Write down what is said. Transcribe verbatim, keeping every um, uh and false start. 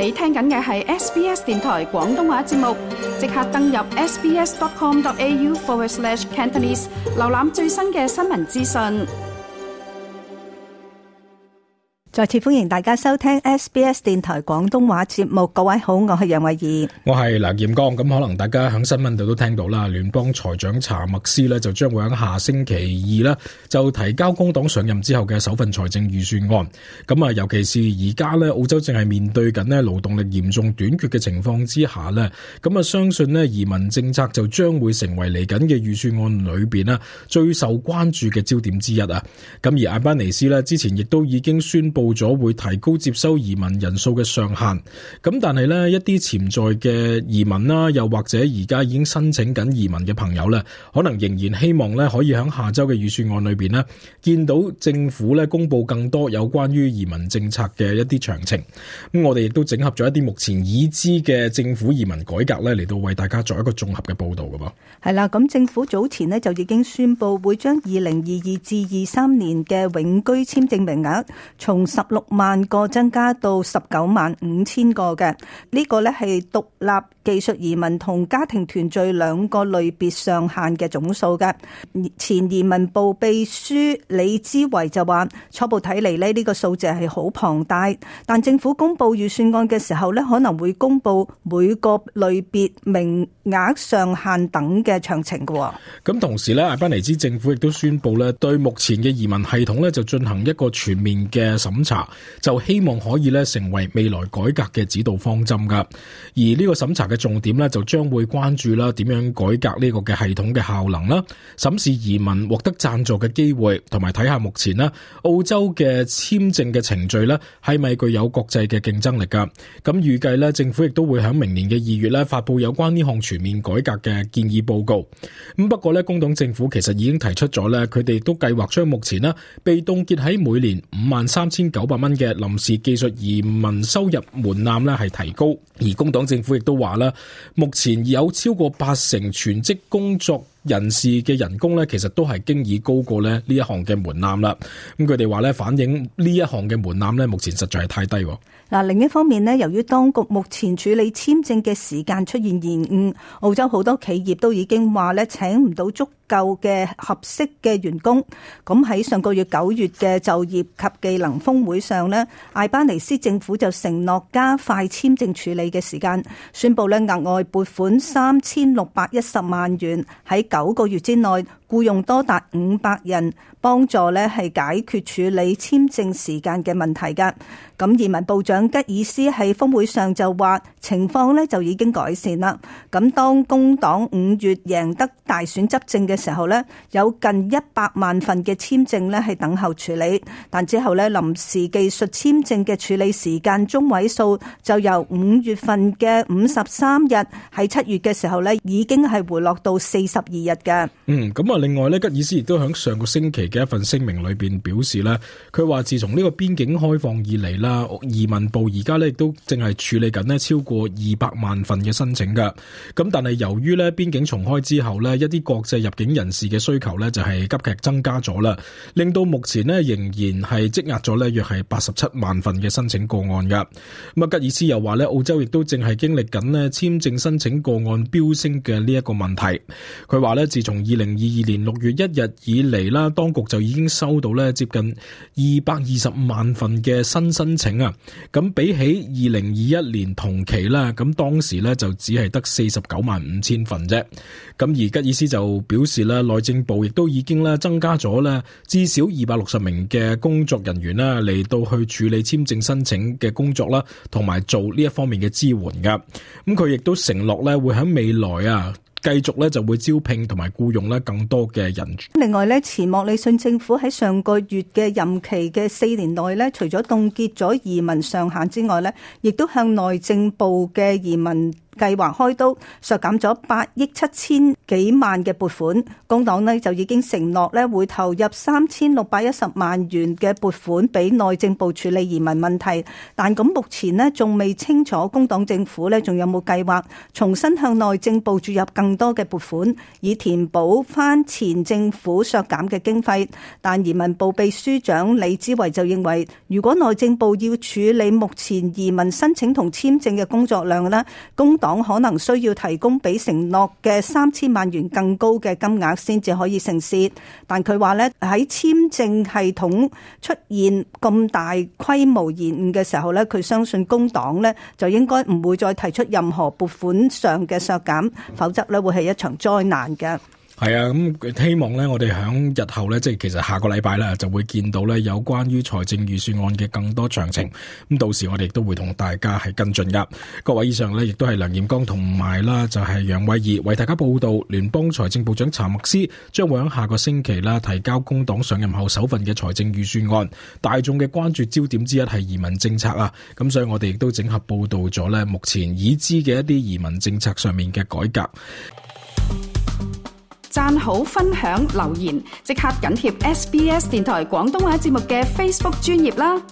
你聽緊嘅係 S B S 電台廣東話節目，即刻登入 sbs.com.au forward slash Cantonese， 瀏覽最新嘅新聞資訊。再次歡迎大家收聽 S B S 電台廣東話節目，各位好，我係楊慧儀，我係梁劍剛。咁可能大家喺新聞度都聽到啦，聯邦財長查默斯呢就將會喺下星期二呢就提交工黨上任之後嘅首份財政預算案。咁啊，尤其是而家呢澳洲正係面對緊呢勞動力嚴重短缺嘅情況之下呢，咁啊相信呢移民政策就將會成為嚟緊嘅預算案裏邊呢最受關注嘅焦點之一啊。咁而艾班尼斯呢之前亦都已經宣布咗會提高接收移民人數嘅上限，咁但係呢一啲潛在嘅移民啦，又或者而家已經申請緊移民嘅朋友呢，可能仍然希望呢可以喺下周嘅預算案裏邊呢見到政府呢公布更多有關於移民政策嘅一啲詳情。咁我哋亦都整合咗一啲目前已知嘅政府移民改革呢嚟到為大家作一個綜合嘅報道噶噃。係啦，咁政府早前呢就已經宣布會將二零二二至二三年嘅永居簽證名額從十六萬個增加到十九萬五千個嘅，呢個呢係獨立技術移民同家庭團聚兩個類別上限嘅總數嘅。前移民部秘書李之維就話，初步睇嚟呢呢個數字係好龐大，但政府公布預算案嘅時候呢可能會公布每個類別名額上限等嘅詳情嘅。咁同時呢，艾班尼茲政府亦都宣布呢對目前嘅移民系統呢就進行一個全面嘅審查，就希望可以咧成為未來改革嘅指導方針噶。而呢個審查嘅重點咧就將會關注啦點樣改革呢個嘅系統嘅效能啦，審視移民獲得贊助嘅機會，同埋睇下目前咧澳洲嘅簽證嘅程序咧係咪具有國際嘅競爭力噶。咁預計咧政府亦都會喺明年嘅二月咧發布有關呢項全面改革嘅建議報告。咁不過咧工黨政府其實已經提出咗咧，佢哋都計劃將目前咧被凍結喺每年五萬三千九百蚊嘅臨時技術移民收入門檻咧係提高。而工黨政府亦都話啦，目前有超過八成全職工作人士嘅人工咧，其實都係經已高過咧呢一項嘅門檻啦。咁佢哋話咧，反映呢一項嘅門檻咧，目前實在係太低。嗱，另一方面咧，由於當局目前處理簽證嘅時間出現延誤，澳洲好多企業都已經話咧請唔到足夠嘅合適嘅員工。咁喺上個月九月嘅就業及技能峰會上咧，艾班尼斯政府就承諾加快簽證處理嘅時間，宣布咧額外撥款三千六百一十萬元喺九個月之內僱用多達五百人，幫助咧係解決處理簽證時間嘅問題噶。咁移民部長吉爾斯喺峰會上就話，情況咧就已經改善啦。咁當工黨五月贏得大選執政嘅時候咧，有近一百萬份嘅簽證咧係等候處理，但之後咧臨時技術簽證嘅處理時間中位數就由五月份嘅五十三日喺七月嘅時候咧已經係回落到四十二日嘅。嗯，咁啊，另外咧，吉爾斯亦都喺上個星期嘅一份聲明裏邊表示咧，佢話自從呢個邊境開放以嚟啦，移民部而家咧亦都正係處理緊咧超過二百萬份嘅申請噶。咁但係由於咧邊境重開之後咧，一啲國際入境人士嘅需求咧就係急劇增加咗啦，令到目前咧仍然係積壓咗咧約係八十七萬份嘅申請個案噶。咁啊，吉爾斯又話咧，澳洲亦都正係經歷緊咧簽證申請個案飆升嘅呢一個問題。佢話咧，自從二零二二年六月一日以嚟啦，當局就已經收到咧接近二百二十五萬份嘅新申請啊。咁比起二零二一年同期啦，咁當時咧就只係得四十九萬五千份啫。咁而吉爾斯就表示咧，內政部亦都已經咧增加咗咧至少二百六十名嘅工作人員啦，嚟到去處理簽證申請嘅工作啦，同埋做呢一方面嘅支援噶。咁佢亦都承諾咧會喺未來啊，繼續咧就會招聘同埋僱用咧更多嘅人。另外咧，前莫里遜政府喺上個月嘅任期嘅四年內咧，除咗凍結咗移民上限之外咧，亦都向內政部嘅移民計劃開刀，削減咗八億七千幾萬嘅撥款。工黨呢就已經承諾咧會投入三千六百一十萬元嘅撥款俾內政部處理移民問題，但咁目前呢仲未清楚工黨政府呢仲有冇計劃重新向內政部注入更多嘅撥款，以填補翻前政府削減嘅經費。但移民部秘書長李之維就認為，如果內政部要處理目前移民申請同簽證嘅工作量呢，工黨可能需要提供比承諾嘅三千萬元更高嘅金額先至可以成事。但佢話呢，喺簽證系統出現咁大規模延誤嘅時候呢，佢相信工黨呢就應該唔會再提出任何撥款上嘅削減，否則呢會係一場災難嘅。係啊，咁希望咧，我哋響日後咧，即係其實下個禮拜咧，就會見到咧有關於財政預算案嘅更多詳情。咁到時我哋亦都會同大家係跟進噶。各位以上咧，亦都係梁彥剛同埋啦，就係楊偉儀為大家報道。聯邦財政部長查默斯將會喺下個星期啦提交工黨上任後首份嘅財政預算案。大眾嘅關注焦點之一係移民政策啊，咁所以我哋亦都整合報道咗咧目前已知嘅一啲移民政策上面嘅改革。讚好、分享、留言，即刻緊貼 S B S 電台廣東話節目嘅 Facebook 專頁啦！